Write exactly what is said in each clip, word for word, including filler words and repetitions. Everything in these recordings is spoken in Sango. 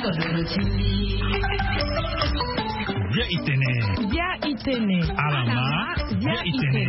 Bia itene. Bia itene. Alama. Bia itene.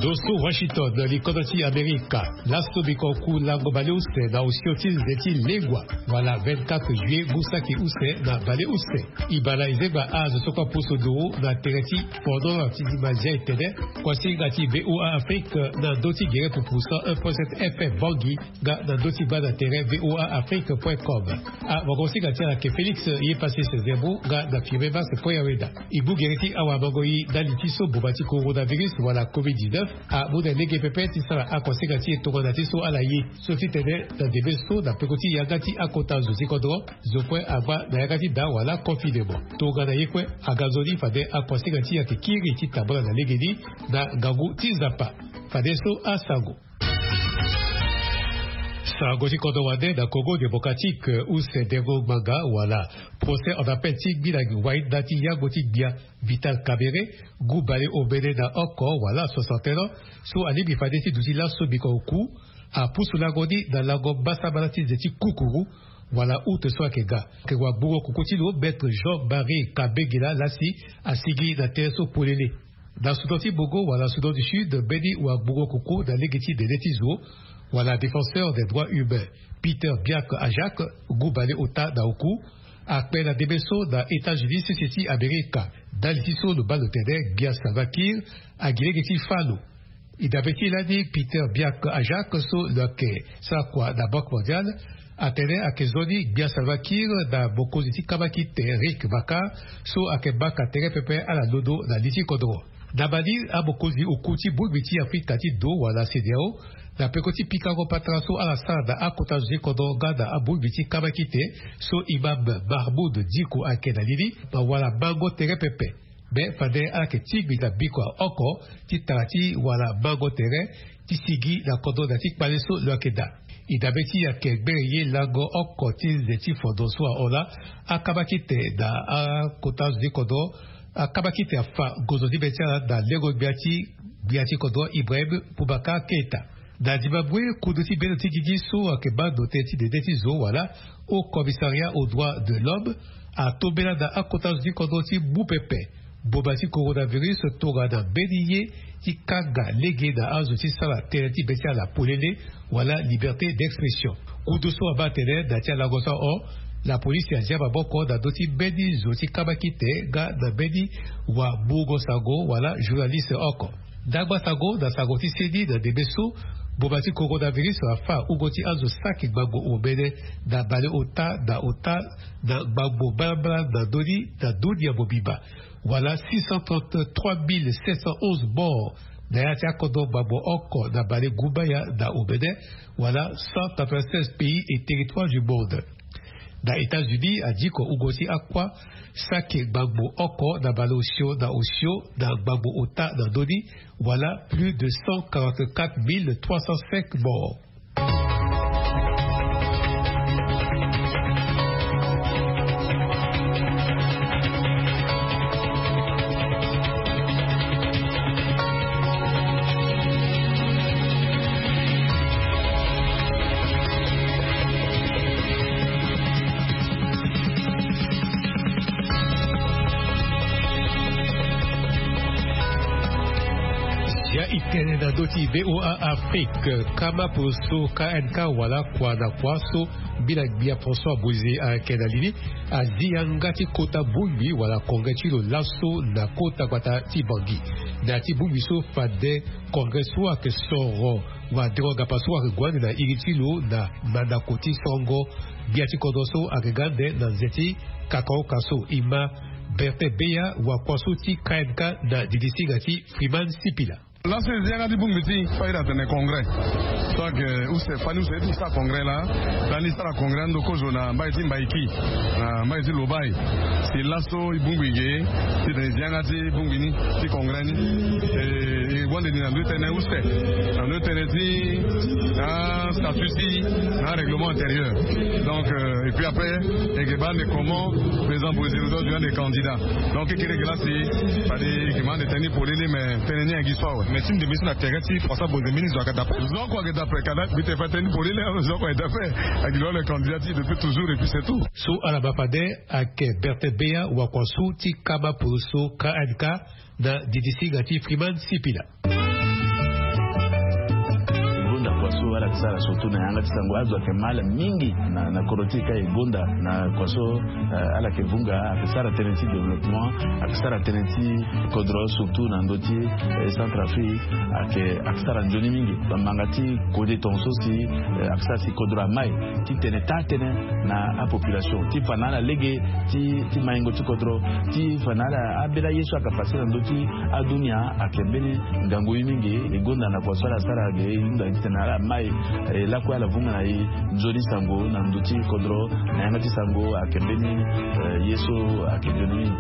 Ndo so Washington, likodo ti Amerika. Laso biko ku lango baleuse na osio ti nze ti lengua, wala vingt-quatre juillet ngu saki use na baleuse. Ibala ezengba azo so kue apusu nduru na tere ti fono ti mazia etene. Kuasinga ti VOA Afrique na ndö ti gere pupu cent un point sept F M Bangui nga na ndö ti baa na tere VOA Afrique point com. Awagosinga ti ala ke Félix ye pasi sezemu nga na firme Max Koyaweda. E gbu gere ti awamango e ndali ti so boma ti coronavirus wala covid dix-neuf amu na lege pepe ti sara akuasinga ti e tongana ti so ala ye. So ti tene na ndembe so na peko ti yanga ti akota zo ti kodro, zo kue agba na yanga ti daa wala confinement. Tongana ye kue aga nzoni fade akuasinga ti e ayeke kiri ti tambula na legeni na ngangu ti Nzapa. Fade so asango. Sango ti kodro wande na Congo Démocratique, use dengo ngbanga wala procès en appel ti ngbila ngi wai nda ti yango ti gbia Vital Kamerhe, ngu baleomene na oko wala soixante et un ans, so alingbi fade ti duti laso biko oku, apusu lango ni na lango mbasambala ti nze ti kukuru wala août so ayeke ga. Ayeke wagbungo kuku ti lo, Maître Jean-Marie Kabengela lasi asigi na tere so polele. Na Soudan ti Bongo wala Soudan du Sud, mbeni wagbungo kuku na lege ti dede ti zo wala défenseur des droits humains, Peter Biak Ajak, ngu baleota na oku, akpe na ndembe so na États-Unis sese ti Amerika, ndali ti so lo baa lo tene gbia Salva Kiir agi lege ti fâ lo. E dabe ti e lani Peter Biak Ajak so lo yeke sara kua na Banque Mondiale atene ayeke nzoni gbia Salva Kiir na mokonzi ti kabakite Riek Machar so ayeke baka tere pepe ala londo na li ti kodro. Na mali, amokonzi oku ti bongbi ti Afrika ti do wala CEDEAO, na peko ti pikango patara so ala sara na akota zo ti kodro nga na abongbi ti kabakite so Imam Mahmoud Dicko ayeke na li ni, ma wara mango tere pepe. Me fade ala yeke tingbi na bikua oko ti tara ti wara mango tere ti sigi na kodro na ya ti kpale so lo yeke daa. E dabe ti e ayeke gbere ye lango oko ti nze ti fondo so ahon laa, akabakite na akota zo ti kodro, akabakite afa gozo ti be ti ala na lengo gbia ti gbia ti kodro Ibrahim Boubacar Keita. Na ndimangoi, kundu ti bendo ti gigi so ayeke baa ndo tënë ti dede ti zo wala Haut Commissariat aux droits de l'homme atombela na akota zo ti kodro ti mu pepe boma ti coronavirus tongana mbeni ye ti kanga lege na azo ti sara tënë ti be ti ala polele wala liberté d'expression. Kundu so abaa atene na ya ti alango so ahon, lapolisi azia maboko na ndö ti mbeni zo ti kabakite nga na mbeni wamungo sango wala journaliste oko. Ndangba sango na sango ti seni na ndembe so boma ti coronavirus afa hungo ti azo saki ngbangbo omene na baleota na ota na ngbangbo mbalambala na ndö ni na dunia mobimba. Wala six cent trente-trois mille sept cent onze morts na ya ti akodro ngbangbo oko na bale gumbaya na omene, wala cent quatre-vingt-seize pays et territoires du monde. Na États-Unis, adiko hungo ti akua saki ngbangbo oko na baleosio na osio na ngbangbo ota na ndö ni, wala plus de cent quarante-quatre mille trois cent cinq morts. Ya itene na ndö ti VOA Afrique, kama poloso K N K wala kua na kua so mbila gbia François Bozizé ayeke na li ni, azi yanga ti kota bongbi wala congrès ti lo laso na kota gbata ti Bangui. Na ya ti bongbi so fade congrès so ayeke soro wadengo-gapa so ayeke gue ande na iri ti lo na mandako ti sorongo gbia ti kodro so ayeke ga ande na nze ti kakaoka so. E ma Bertin Beya, wakua so ti K N K na didi singa ti Freeman Sipila. Laso e zi yanga ti bongbi ti e, fade atene congrès so ayeke use, fani use ti sara congrès laa. Ndali ti sara congrès ando kozo na mbai ti Mbaiki, na mbai ti Lobai. Si laso e bongbi ge titene e zi yanga ti bongbi ni ti congrès ni. E, e gue ande ni na ndö ti tënë use, na ndö ti tënë ti, ah, statut ti, na règlement intérieur. Donc, euh, et puis après, e yeke baa ande comment président Bozizé lo doit devenir candidat. Donc e kiri e yeke laa si fade e yeke ma ande tënë ni polele, mais tënë ni ayeke gi so awe. Mais ti ndembe so na terrain ti François Bozemini zo ayeke dape. Zo oko ayeke dape, kana mbi te fa tënë ni polele. Zo oko ayeke dape. Ayeke lo le candidat ti depuis toujours et puis c'est tout. So ala baa fade ayeke Bertin Beya wakua so ti kama poroso K N K na didi singa ti Freeman Sipila. Gonda kua so ala yeke sara surtout na yanga ti sango azo ayeke mal mingi na, na kodro ti e ka e gonda na kua so, eh, ala yeke vunga ayeke sara tënë ti développement, ayeke sara tënë ti kodro surtout na ndö ti, eh, Centrafrique ayeke, ayeke sara nzoni mingi. Bamanga ti kode tongaso si, eh, ayeke sara si kodro amai ti tene taa tënë na apopulation ti fa na ala lege ti, ti maingo ti kodro ti fa na ala abela ye so ayeke pase na ndö ti adunia ayeke mbeni ngangu ye mingi. E gonda na kua so ala sara ge e hunda titene ala mai, eh, lakue ala vunga na e nzoni sango na ndö ti kodro na yanga ti sango ayeke mbeni, eh, ye so ayeke nzoni mingi.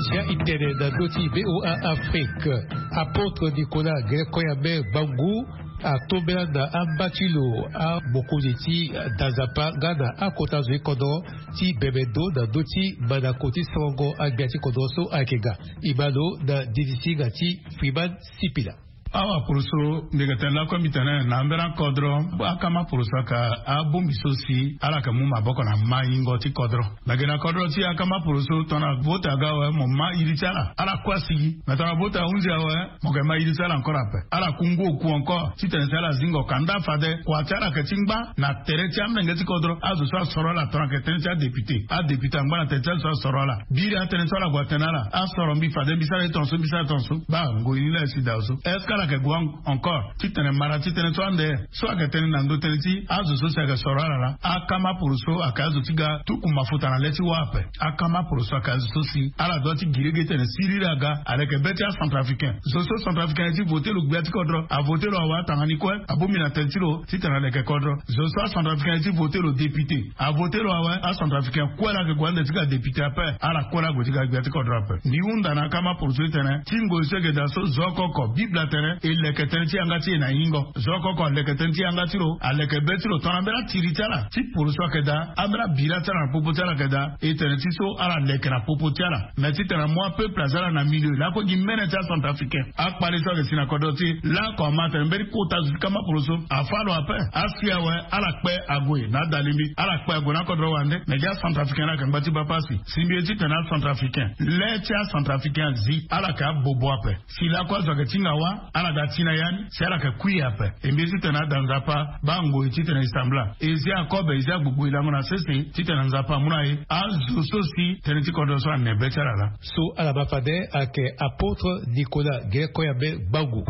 Sia e tene na ndö ti V O A Afrique, apôtre Nicolas Grécoyame Gbangu atombela na amba ti lo amokonzi ti da nzapa nga na akota zo ti kodro ti bembe ndo na ndö ti mandako ti sorongo agbia ti kodro so ayeke ga. E ma lo na didi singa ti Freeman Sipila. Awa poroso mbi yeke tene lakue mbi tene na ambeni akodro, akama poroso ayeke abongbi so si ala yeke mu maboko na maingo ti kodro. Me gi na kodro ti akama poroso tongana vote aga awe mo ma iri ti ala, ala kue asigi. Me tongana vote ahunzi awe, mo yeke ma iri ti ala encore ape. Ala ku ngu oku encore titene si ala zingo ka nda fade kua ti ala yeke ti ngba na tere ti amenge ti kodro. Azo so asoro ala tongana yeke tënë ti adéputé, adéputé angba na tere ti azo so asoro ala. Biri atënë so ala gue atene ala asoro mbi fade mbi sara ye tongaso mbi sara ye tongaso. Baa ngoi ni laa e si daa so. Est-ce que ala yeke gue encore titene mara ti tënë so ande so ayeke tënë na ndö tënë ti azo so si ayeke soro ala laa? Akama poroso ayeke azo ti ga tuku mafuta na le ti wâ ape. Akama poroso ayeke azo so si ala doit ti gi lege titene siriri aga aleke be ti acentrafricain. Zo so centrafricain aye ti vote lo gbia ti kodro, avote lo awe atanga ni kue, abongbi na tënë ti lo titene aleke kodro. Zo so acentrafricain aye ti vote lo député, avote lo awe acentrafricain kue laa ayeke gue ande ti ga député ape. Ala kue laa ague ti ga gbia ti kodro ape. Mbi hunda na akama poroso titene ti ngoi so e yeke daa so zo oko oko Bible atene e leke tënë ti yanga ti e na hingo. Zo oko oko aleke tënë ti yanga ti lo, aleke be ti lo tongana ambeni atiri ti ala ti poroso ayeke daa, ambeni abira ti ala na popo ti ala ayeke daa. E tene ti so ala leke na popo ti ala. Me titene amu apeuple aza ala na milieu lakue gi mene ti acentrafricain. Akpale so ayeke si na kodro ti e lako ama atene mbeni kota zo ti kama poroso afâ lo ape. Asi awe ala kpe ague na adalingbi, ala kpe ague na akodro wande. Me gi acentrafricain laa ayeke ngba ti baa pasi. Si mbi ye titene acentrafricain, le ti acentrafricain azi, ala yeke abobo ape. Si lakue azo ayeke ti hinga wâ, ala ga ti na ya ni si ala yeke kui ape. E mbi ye titene ada nzapa baa ngoi titene e sambela, e zia akobe, e zia agbogbo, e lango na sese titene nzapa amu na e azo so si tënë ti kodro so ane be ti ala laa. So ala ma fade ayeke apôtre Nicolas Grécoyame Gbangu.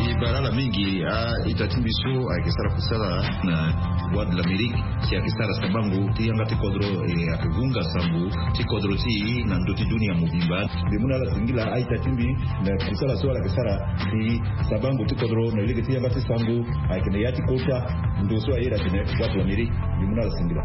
E bara ala mingi a-ita ti mbi so ayeke sara kusala na Voix de l'Amérique, si ayeke sara sabango ti yanga ti kodro, e ayeke vunga sango ti kodro ti e na ndö ti dunia mobimba. Mbi mu na ala singila a-ita ti mbi na kusala so ala yeke sara ti sabango ti kodro na lege ti yanga ti sango ayeke na ya ti kota ndo so aye daa tene Voix de l'Amérique. Mbi mu na ala singila.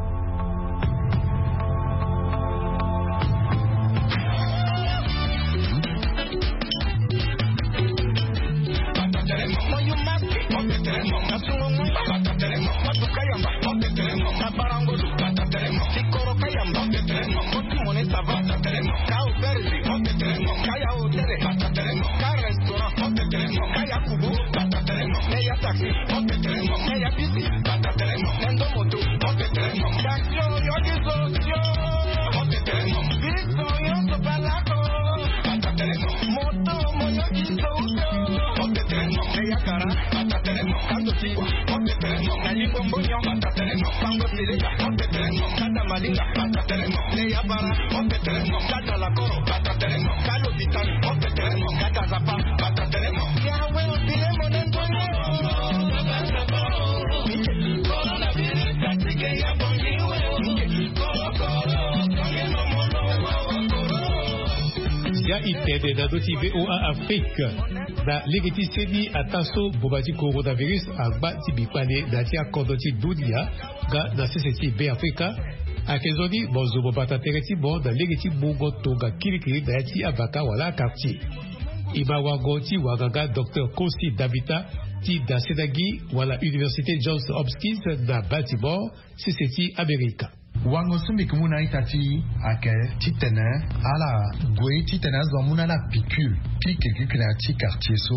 Ya e tene na ndö ti V O A Afrique. Na lege ti seni ataa so mboma ti coronavirus angba ti mbi kpale na ya ti akodro ti dunia nga na sese ti Beafrika, ayeke nzoni mo zo mo bata tere ti mo na lege ti mungo tonga kirikiri na ya ti avaka wala akartier. E ma wango ti wanganga docteur Kosi Davita ti dasena gi wala Université Johns Hopkins na Baltimore, sese ti Amerika. Wango so mbi yeke mu na a-ita ti e ayeke titene ala gue titene azo amu na ala piqûre, piqûre piqûre na ya ti quartier so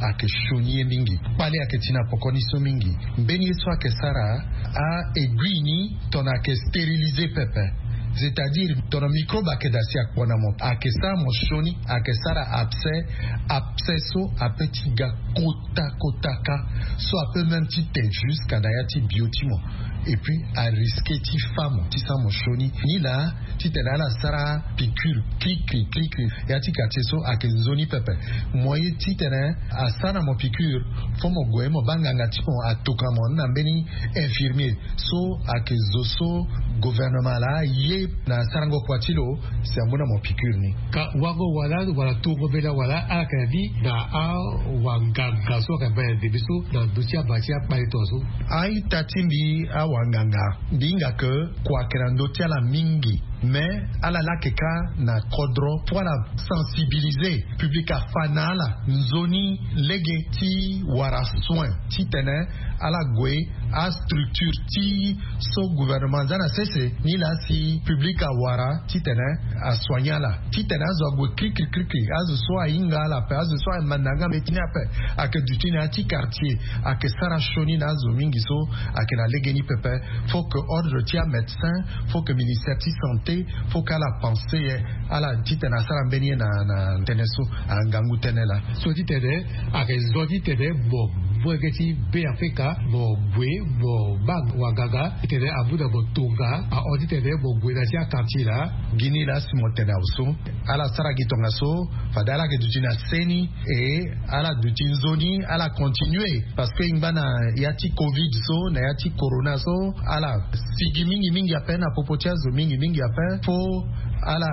ayeke sioni ye mingi. Kpale ayeke ti na pokoni so mingi. Mbeni ye so ayeke sara a-aiguille ni tongana ayeke stériliser pepe. C'est-à-dire tongana microbe ayeke daa si akpo na mo, ayeke sara mo sioni, ayeke sara abcès. Abcès so ape ti ga kota kota kâ, so ape même ti te jusqu'à na ya ti bio ti mo. Et puis arisque ti fâ mo ti sara mo sioni. Ni laa titene ala sara piqûre krikri krikri. Ya ti quartier so ayeke nzoni pepe. Mo ye titene asara na mo piqûre, fo mo gue mo baa nganga ti mo atoka mo na mbeni infirmier so ayeke zo so gouvernement laa ye na sarango kua ti lo, si amu na mo piqûre ni. Ka wango wala, wala tongo mbela wala ala yeke na ni na awanganga so ayeke baa na ndembe so na ndö ti aba ti akpale tongaso. A-ita ti mbi, awanganga, mbi hinga ke kua ayeke na ndö ti ala mingi. Mais ala lake kâ na kodro fo ala sensibiliser public afâ na ala nzoni lege ti wara soin titene ala gue astructure ti so gouvernement aza na sese ni laa si public awara titene asoigner ala. Titene azo ague krikri krikri, azo so ahinga ala ape, azo so amanda yanga mbeti ni ape, ayeke duti na ya ti quartier, ayeke sara sioni na azo mingi so ayeke na legeni pepe. Faut que ordre ti amédecin, faut que ministère ti santé, faut que ala pense ye ala titene asara mbeni ye na na tënë so. Angangu tënë laa so titene ayeke zo titene mo mu lege ti Beafrika mo gue mo baa wanganga titene amu na mo tonga ahon titene mo gue na ya ti aquartier laa. Gi ni laa si mo tene awe so ala sara gi tongaso, fade ala yeke duti na seni, e ala duti nzoni ala continuer. Parce que e ngba na ya ti covid so, na ya ti corona so, ala sigi mingi mingi ape na popo ti azo mingi mingi ape. Fo ala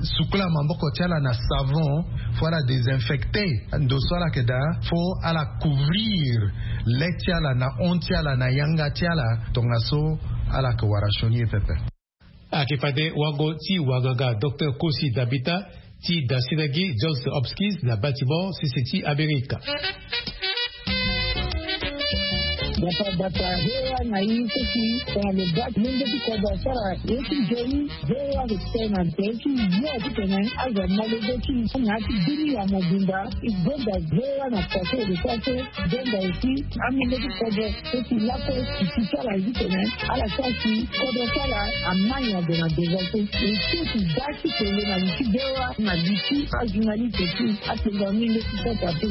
sukula maboko ti ala na savon, fo ala désinfecter ndo so ala yeke daa, fo ala couvrir le ti ala na hon ti ala na yanga ti ala. Tongaso ala yeke wara sioni ye pepe. Ayeke fade wango ti wanganga docteur Kosi Dabita ti dasena gi Johns Hopkins na Baltimore, sese ti Amerika. Bata bata, hewa na i seki tongana lo baa ti lenge ti kodro asara ye ti nzoni. Hewa ayeke tene na nze ti yo titene azo ama lege ti i na ya ti bini ya mobimba. E gonda hewa na pase e lo so ase. Donda aussi amolenge ti kodro so si lakue si ti ti ala zi tene ala sara si kodro ti ala amai na ndo na devant so. E so si baa ti tene na li ti bewa na li ti ajournaliste ti atonga amolenge ti santa te.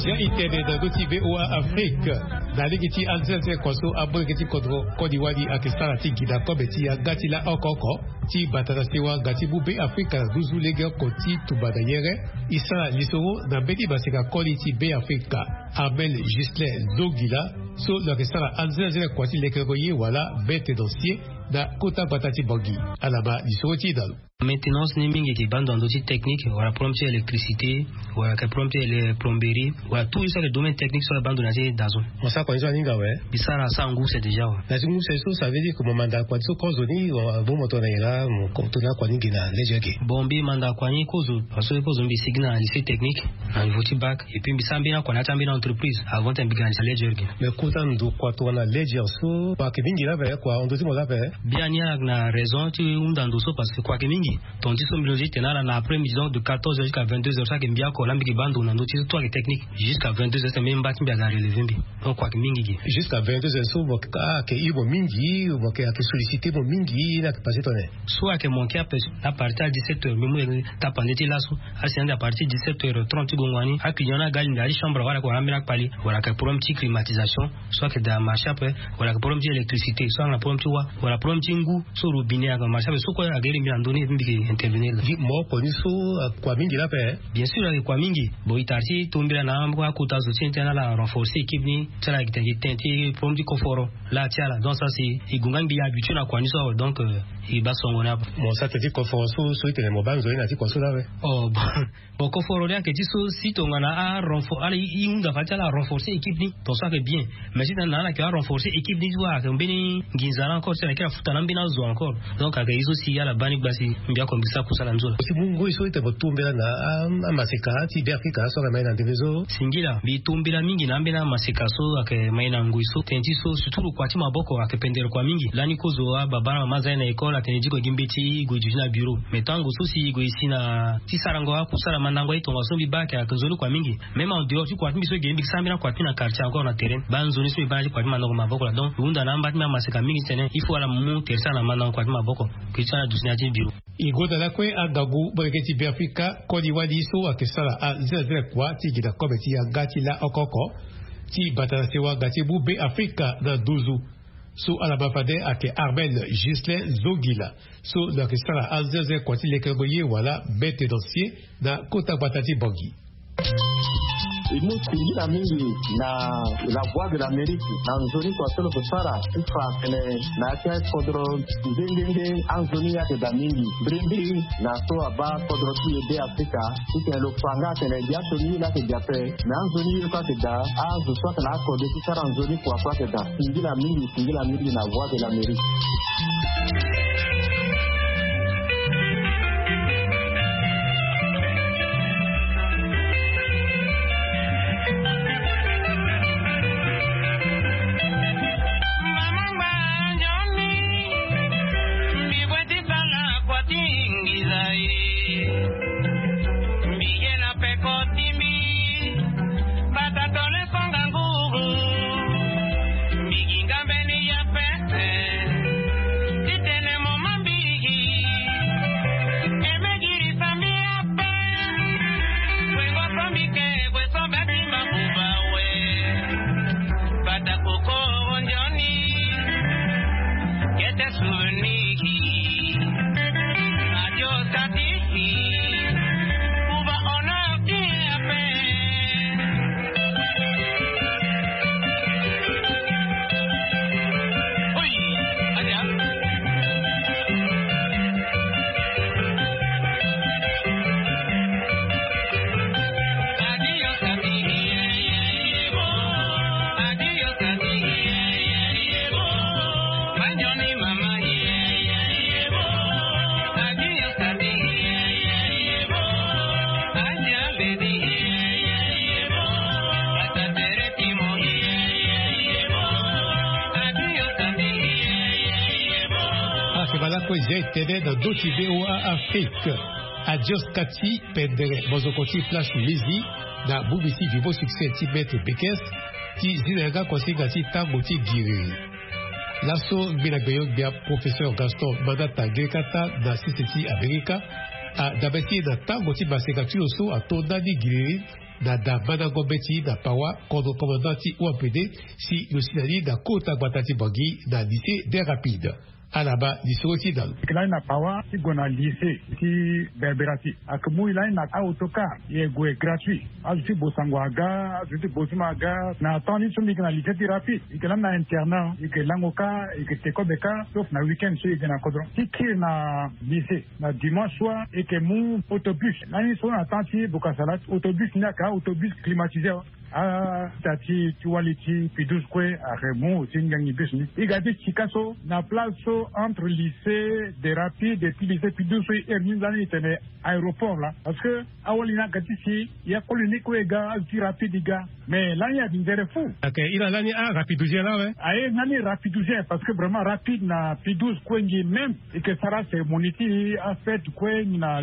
Sia itene na ndö ti V O A Afrique. Na lege ti anzenzele kua so amolenge ti kodro koli wali ayeke sara ti gi na kobe ti yanga ti laa oko oko ti bata na sewa nga ti mu Beafrika na nduzu lege oko ti tumba na yere. E sara lisoro na mbeni maseka koli ti Beafrika, Armel Ghislain Zongila, so lo yeke sara anzenzele kua ti lekerengo ye wala maintenancier na kota gbata ti Bangui. Ala ma lisoro ti e na lo. Maintenance ni mingi eke baa ndo na ndö ti technique wala problème ti électricité, wala yeke problème ti ele plomberie, wala tout ye so ayeke domaine technique so ala baa ndo na ya ti dazo. Mo sara kua ni so aninga awe. Mbi sara, asara ngu use déjà awe. Na ya ti ngu use so ça veut dire que mo manda kua ti so kozo ni, mo mu mo tongana nyen laa mo tongana kua ni gi na lege ake? Bon, mbi manda kua ni kozo parce que kozo mbi sigi Na lycée technique, na niveau ti bac. Et puis mbi sara mbeni akua na ya ti ambeni entreprise avant ti mbi grandisa ledger gi. Mais kota ndo kua tongana ledger so, kua ayeke mingi laa ape? Kua ahon ndo ti mo laa ape? Biani ala na raison ti hunda ndo so parce que kua ayeke mingi. Tonga ti so mbi loge ti tene ala na après midi donc de quatorze heures jusqu'à vingt-deux heures so ayeke mbi oko laa mbi yeke baa ndo na ndo ti so tout ayeke technique. Jusqu'à vingt-deux heures mbeni mba ti mbi aga relever mbi. Donc kua ayeke mingi gi. Jusqu'à vingt-deux heures so mo yeke ah ayeke hir mo mingi, mo yeke ayeke solliciter mo mingi, ni ayeke passé tongana nyen? So ayeke manqué ape na partir ti dix-sept heures mbi mu tapande ti laso. Asi na ande à partir dix-sept heures trente ti gongo wani aclient ni aga alingbi na ya ti chambre wala ayeke wara ambeni akpali, wala ayeke problème ti climatisation so ayeke daa marché ape, wala ayeke problème ti électricité so ayeke na problème ti wa, wala problème ti ngu so robinet ayeke na marché ape. So kue ayeke iri mbi na ndö ni mbi yeke intervenir laa. Gi mo oko ni so, ah, kua mingi laa ape? Bien sûr ayeke kua mingi. Bon e tara ti tombela na akota zo ti ni ti ala renforcer équipe ni ti ala yeke tene gi tënë ti problème ti koforo. Laa ti ala donc ça c'est e gue nga mbi habitué na kua ni so awe donc, euh, e baa songo ni ape. Mo sara tënë ti koforo so so e tene mo baa nzoni na ya ti kua so laa awe? Oh bon. Bon koforo ni ayeke ti so si tongana arenfor ala e hunda fade ti ala renforcer équipe ni tonga so ayeke bien. Mais si tongana ala yeke arenforcer équipe ni ti so ayeke mbeni nginza laa encore si ala yeke afuta na ambeni azo encore. Donc ayeke ye so si ala baa ni gba si mbi oko mbi sara kusala nzoni. Si mu ngoi so e tene mo tombela na amaseka ti be afrika so ayeke mai na ndembe so? Singila mbi tombela mingi na ambeni amaseka so ayeke mai na ngoi so tënë ti so surtout lo kua ti maboko ayeke pendere kua mingi. Lani kozo ababa na mama aza ye na école atene diko gi mbeti e gue duti na bureau. Mais tango so si e gue e si na ti sarango akusala mandango aye tongaso mbi baa ayeke ayeke nzoni kua mingi. Même en dehors ti kua ti mbi so e ge ni mbi sara mbeni akua ti mbi na quartier encore na terrain baa nzoni so mbi baa na ti kua ti mandango maboko laa donc e hunda na amba ti mbi amaseka mingi ti tene il faut ala mu tere ti ala na mandango kua ti maboko. Ke ti ala duti na ya ti bureau. E gonda lakue angangu molenge ti be afrika koli wali so ayeke sara azenzele kua ti gi na kobe ti yanga ti la oko oko ti bata na sewa nga ti mu be afrika na nduzu. So ala ma fade ayeke armel justin zongila so lo yeke sara anzenze kua ti lekerengo ye wala maintenancier na kota gbata ti bangi. E mu singila mingi na la voix de l'amérique na nzoni kua so lo yeke sara ti fa atene na ya ti akodro nde nde nde anzoni ye ayeke daa mingi mbirimbiri na so abaa kodro ti e be afrika. Titene lo fa nga atene gi aso ni ye laa ayeke daa ape. Me anzoni ye kue ayeke daa azo so ayeke na akode ti sara nzoni kua kue ayeke daa. Singila mingi singila mingi na voix de l'amérique. Mbi bwe ti sala kua ti ngiza e. Mbi ye na peko ti mbi. Bata tole konga ngugu. Mbi gi nga mbeni ya pe. Titene mo ma mbi gi. E me girisa mbi ape. Wengo so mbi ke gwe so be ti mabuba we. Bata koko nzoni. Kete souvenir. Adios kati. Kuba ono ti ape. Ayeke bala kue zia etene na ndö ti voa afrique. Adios kati pendere mozoko ti flash mizi na bubi ti vivo succès ti maître bekes ti zi na yanga kuasinga ti tango ti giriri. Laso ngbena gbenyo-gbia professeur gaston manata gerekata na sese ti amerika adabe ti e na tango ti maseka ti lo so ato ndani giriri na da mandango mbeti na pawa kodro commandant ti ompd si lo si na ni na kota gbata ti bangi na lycée des rapides. Ala baa lisoro ti e na lo. Yeke lani na pawa ti gue na lycée ti berbera ti. Ayeke mu e lani na aotocar e gue gratuit. Azo ti bosango aga azo ti bosima aga na temps ni so mbi yeke na lycée ti rapide yeke lani na internat yeke lango ka yeke te kobe ka sauf na week-end so yeke na kodro ti kiri na lycée na dimanche soir yeke mu autobus lani so na temps ti bokasala autobus ni ayeke autobus climatiseur. Ata ti ti wali ti pidus kue ayeke mu ti ngangi bus ni. I ga ti sika so na place so entre lycée de rapide et puis lycée pidus so i ere ni lani i tene aéroport laa. Parce que awali ni aga ti si ya koli ni kue i ga azo ti rapide i ga. Mais lani adi nzere fu. Ok, i na lani a rapidusien laa we. Aye nani rapidusien parce que vraiment rapide na pidus kue ngi même. I ke sara cérémonie ti afête kue ngi na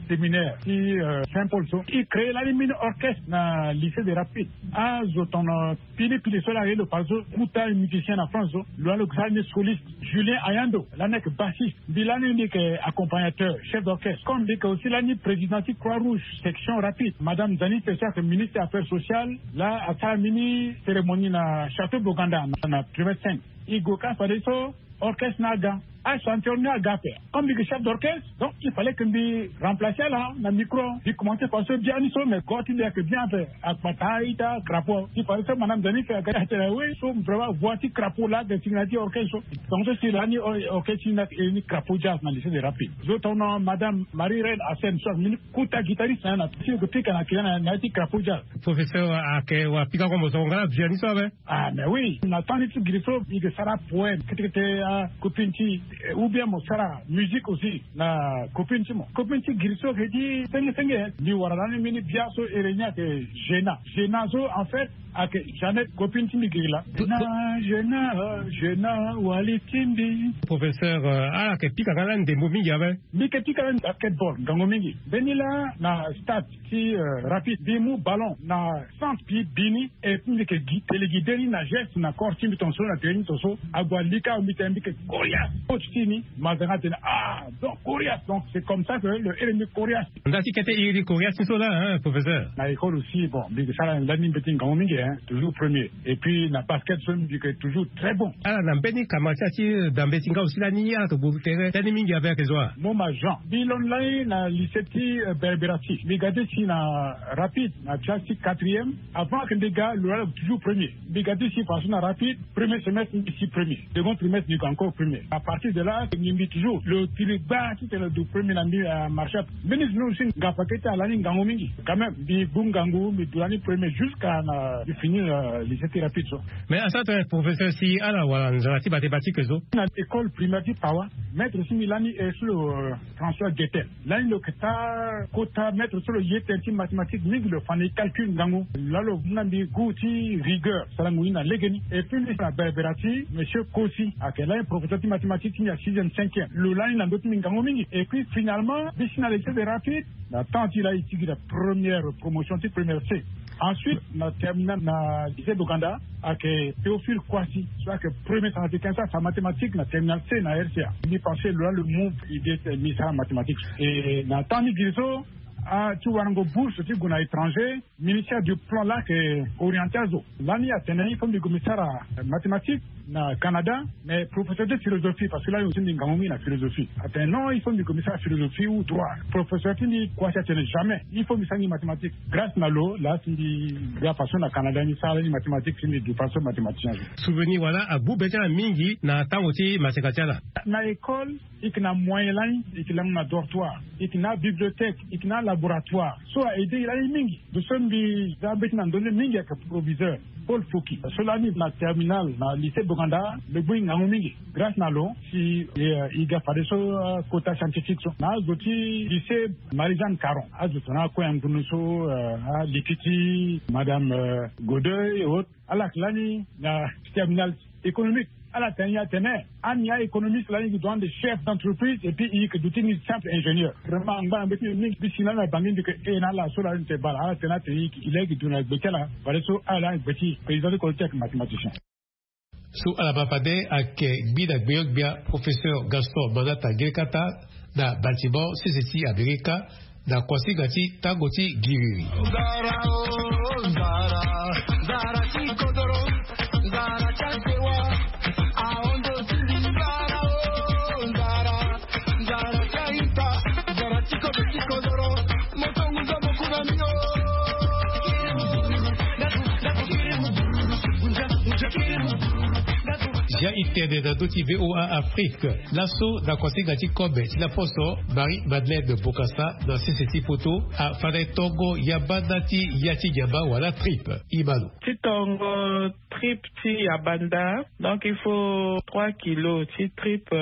séminaire ti saint paul so i crée lani mini orchestre na lycée de rapide. Azo tono pili pili so laa ye lo pari so kuta musicien na france so lo laa lo ke sara ni soliste. Julien ayando lani ayeke bassiste. Mbi lani mbi yeke accompagnateur chef d'orchestre comme mbi yeke aussi lani président ti croix rouge section rapide madame zanite so ayeke ministre affaires sociales. Laa asara mini cérémonie na château boganda na primaire cinq. I go ka fadeso orchestre ni aga. Achanteur ni aga ape. Comme mbi yeke chef d'orchestre donc il fallait que mbi remplacer ala na micro. Mbi commencer fadeso biani so mais go ti mbi ayeke bien ape. Akpata ita crapaud ti fadeso madame zanite aga ti atene oui so vraiment voix ti crapaud laa ayeke sigi na ya ti orchestre so. Donc so si lani orchestre ti ni ayeke iri ni crapaud jazz na lycée de rapide. Zo tono madame marie reine ascène so ayeke mini kuta guitariste na ya na ti lo yeke pika na kila na ya ti crapaud jazz. Professeur ayeke wara pika kombo so nga na biani so ape. Ah mais oui na temps ni ti giri so mbi yeke sara poème kete kete. Copine ti ou bien mo sara musique aussi na copine ti mo copine ti giri so ayeke ti senge senge. Mbi wara lani mini bia so ere ni ayeke gena gena so en fait ayeke jamais copine ti mbi giri laa. Gena gena gena wali ti mbi. Professeur ala yeke pika nga lani ndembo mingi ape. Mbi yeke pika lani basketball ngangu mingi mbeni laa na stade ti rapide mbi mu ballon na centre ti bi ni. Et puis mbi yeke gi tele gi de ni na geste na corps ti mbi tonso na tere ti mbi tonso. Ague alika mbi tene mbi yeke coriace coach ti ni. Mazanga atene ah donc coriace donc c'est comme ça que lo ere mbi coriace. Nda ti kete iri coriace ti so laa hein professeur. Na école aussi bon mbi yeke sara lani mbeti ngangu mingi hein toujours premier. Et puis na basket so mbi yeke toujours très bon. Ala na mbeni kamara ti ala ti dambe ti nga aussi lani ala yeke guru tere lani mingi ape ayeke zo wa. Moma jean mbi londo lani na lycée ti berbera ti mbi ga ti si na rapide na classe ti quatrième. Avant que mbi ga lo laa lo yeke toujours premier. Mbi ga ti si façon na rapide premier semestre mbi si premier. Second trimestre mbi yeke encore premier à partir de là mbi mbi toujours lo tiri gba titene lo du premier na mbi. Marché ape mbeni zo ni aussi ngapa kete alani ngangu mingi. Quand même mbi gbu ngangu mbi du lani premier jusqu'à na mbi fini na lycée ti rapide so. Mais asara tene professeur si ala wala nzara ti mathématique so. Na école primaire ti pawa maître ti mbi lani e so lo transfert guetel. Lani lo yeke taa kota maître so lo ye tënë ti mathématique mingi lo fa na e calcul ngangu. Laa lo mu na mbi goût ti rigueur sarango ni na legeni. Et puis mbi na berbera ti monsieur kosi ayeke lani professeur ti mathématique ti mbi na sixième cinquième lo lani na ndö ti mbi ngangu mingi. Et puis finalement mbi si na lycée de rapide na temps ti laa e ti gi na première promotion ti première c. Ensuite na terminale na lycée d'ouganda ayeke théophile koisi so ayeke premier centrafricain so afa mathématique na terminale c na rca. Mbi pensé lo laa lo mu idée ti mbi sara mathématique. Et na temps ni giri so ti warango bourse ti gue na étranger ministère du plan laa ayeke orienté azo. Lani atene il faut mbi gue mbi sara mathématique na canada. Mais professeur ti philosophie parce que lani lo ti mbi ngangu mingi na philosophie atene non il faut mbi gue mbi sara philosophie ou droit. Professeur ti mbi koisi atene jamais il faut mbi sara ni mathématique. Grâce na lo laa si mbi ga façon na canada ni sara ni mathématique si mbi du façon mathématicien. Souvenir wala agbu be ti ala mingi na tango ti maseka ti ala. Na école i yeke na moyen lani i yeke lango na dortoir i yeke na abibliothèque i yeke na alaboratoire so a aidé i lani mingi. Ndo so mbi za mbeti na ndö ni mingi ayeke proviseur paul foki so lani na terminale na lycée boganda. Lo gbu i ngangu mingi grâce na lo si i ga fadeso kota scientifique so na azo ti lycée marie jeanne caron azo tongana akue angunu so aliki ti madame godeuil et autres. Ala yeke lani na terminale économique ala tene ni atene ani a économiste lani gi doit de chef d'entreprise et puis i yeke duti ni simple ingénieur. Vraiment angba na mbeti ni mingi mbi si lani na bangi mbi yeke e na ala so lani te bala ala tene ni atene i laa i gi du na gbe ti ala. Fadeso ala lani gbe ti président ti kolo ti ayeke mathématicien. So ala baa fade ayeke gbi na gbeyo-gbia professeur gaston manata gerekata na bâtiment sese ti amerika na kuasinga ti tango ti giriri. Ya itene na ndö ti VOA Afrique. Laso na kuasinga ti kobe ti laposo, Marie Madeleine Bokassa na sese ti poto afana e tongo yabanda ti ya ti nyama wala tripe. Imano ti tongo tripe ti yabanda. Donc il faut trois kilos ti tripe,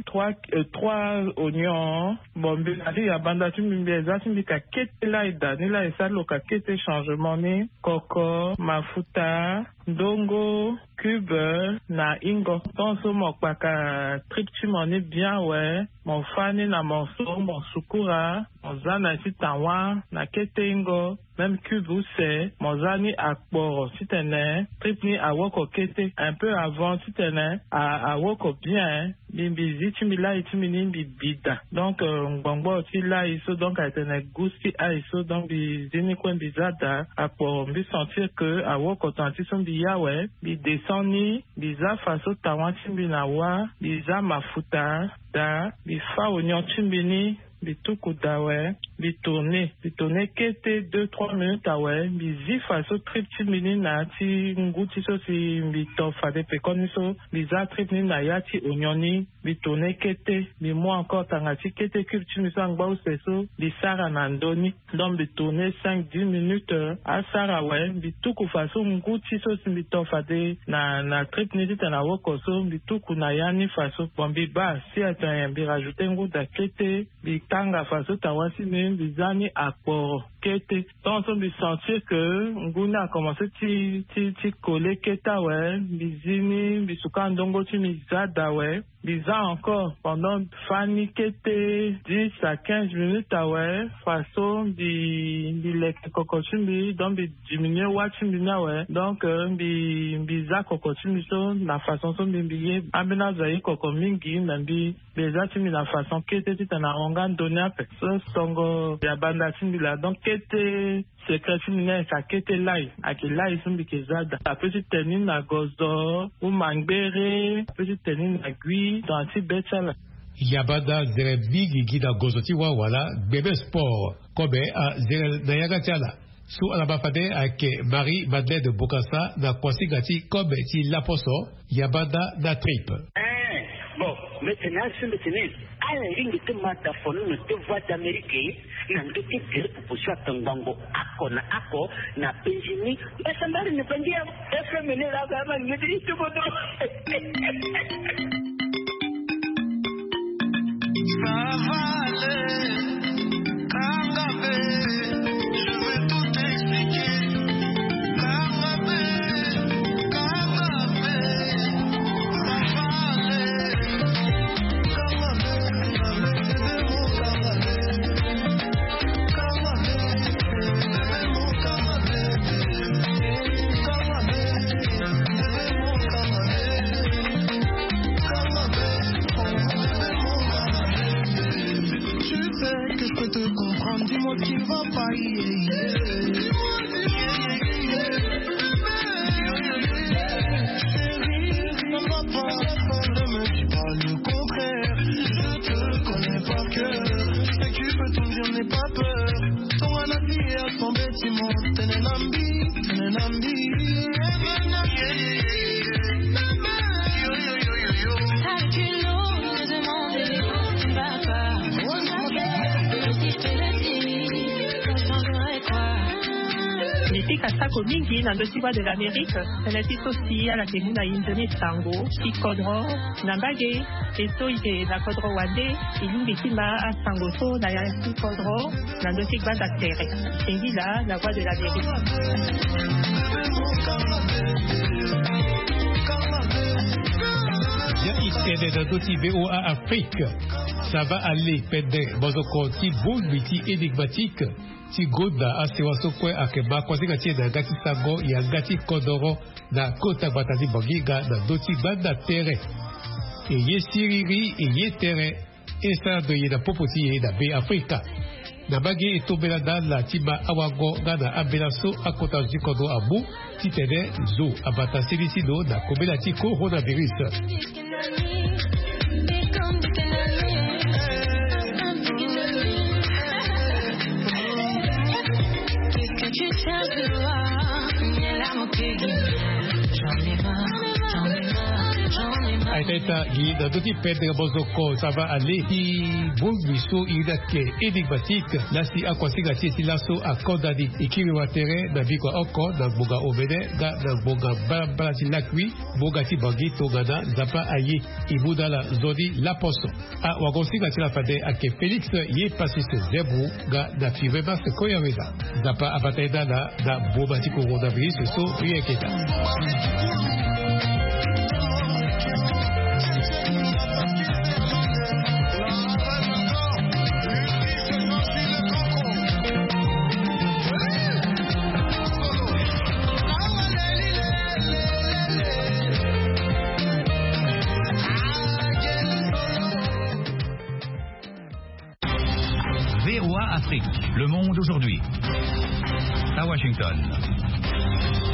trois, euh, trois oignons. Bon, mbi na ti yabanda ti mbi, mbi eza ti mbi ka kete lai da ni lai, esa lo ka kete changement ni. Koko, mafuta, ndongo, cube na ingo. Tonso mo kpaka tripe ti mo ni bien awe. Mo fa ni na morceau, mo sukura, mo za na ti tawa na kete ingo. Même cube use, mo za ni akporo titene tripe ni awoko kete un peu avant titene a, awoko bien. Mbi, mbi zi ti mbi lai ti mbi ni mbi bi da. Donc, euh, ngbongboro ti lai so, donc, ayeke tene gus ti ai so, donc, mbi zi ni kue mbi za da. Akporo mbi sentir que awoko tongana ti so mbi ya awe, mbi descend ni, mbi za faso tawa ti mbi na wa, mbi za mafuta da, mbi fa oignon ti mbi ni, mbi tuku da awe, mbi tourner, mbi tourner kete deux, trois minutes awe, mbi zi faso tripe ti mbi ni na ya ti ngu ti so si mbi to fade pekoni so, mbi za tripe ni na ya ti oignon ni, mbi tourner kete, mbi mu encore tanga ti kete cube ti mbi so angba use so, mbi sara na ndö ni. Donc mbi tourner cinq, dix minutes, euh, asara awe, mbi tuku faso ngu ti so si mbi to fade na, na tripe ni titene awoko so, mbi tuku na ya ni faso. Bon, mbi baa si atene mbi rajouter ngu da kete, mbi kanga faso tawa ti mbi, mbi za ni akporo kete. Tonso mbi sentir que ngu ni akomense ti, ti, ti coller kete awe, mbi zi ni, mbi suka ndongo ti mbi za da awe. Mbi za encore pendant fa ni kete dix à quinze minutes awe, faso mbi, mbi leke koko ti mbi, donc mbi diminuer wa ti mbi ni awe. Donc, euh, mbi, mbi za koko ti mbi so na façon so mbi, mbi ye ambeni azo aye koko mingi, me mbi, mbi eza ti mbi na façon kete titene ahon nga ndö ni ape. So tongo ya banda ti mbi laa, donc kete secret ti mbi ni ayeke akete lai, ayeke lai so mbi yeke za da. Ape ti tene ni na gozo, ou mangbere, ape ti tene ni na gui, tongana ti be ti ala. Ya banda nzere mingi gi na gozo ti wa wala gbebe sport. Kobe anzere na yanga ti ala. So ala ma fade ayeke Marie Madeleine Bokassa na kuasinga ti kobe ti laposo, ya banda na tripe. Eh, bon, mbi tene asi mbi tene, ala ringi ti ma da fono na te Voix d'Amérique, na ndö ti gere proposition ata ngbongo oko na oko na Benjini. Mbasambari ni bangi ya F M ni la, ba ma ni ti bodo. Ça va aller, Kangabe, je vais tout expliquer. Kangabe, Kangabe, ça va aller. Kangabe, Kangabe, Kangabe. Tu sais que je peux te comprendre, dis-moi ce qui ne va pas, yeah, yeah. Chérie, ça va pas, ne me dis pas le contraire. Je te connais par cœur, je sais que tu peux tout me dire, n'aie pas peur. Tongana ti ya tombe ti mo, tene na mbi, tene na mbi. Mbi pika sako mingi na ndö ti Voix de l'Amérique, tënë ti so si ala yeke mu na e nzoni sango ti kodro na mbage. E so e yeke na kodro wande, e lingbi ti ma asango so na ya ti kodro na ndö ti gbanda tere. Singila, la Voix de l'Amérique. Ya e tene na ndö ti VOA Afrique. Ça va aller, pendent maboko ti bongbi ti énigmatique ti gonda asewa so kue ayeke ma kuasinga ti e na yanga ti sango, yanga ti kodoro na kota gbata ti Banginga na ndö ti gbanda tere. E ye siriri, e ye tere. E sara ndo e ye na popo ti e na Be Afrika. Na mbage e tombela na ala ti ma awango nga na ambela so akota zo ti kodro amu titene zo abata seni ti lo na kobela ti coronavirus. Aita ita gi na ndö ti pendre mozoko sava ale ti bongbi so iri ni ake énigmatique. Lasi akuasinga ti e ti laso akonda ni. E kiri wa tere na bikua oko na ngbonga omene nga na ngbonga mbalambala ti lakui. Ngbonga ti bangi tongana Nzapa aye. E mu na ala nzoni laposo. Awagosinga ti ala fade ake Félix ye Pacifique Zebou nga na Five Mars Koyaweza. Nzapa abata ye na ala na boma ti coronavirus so. Rien keta. V O A Afrique, le monde aujourd'hui. À Washington.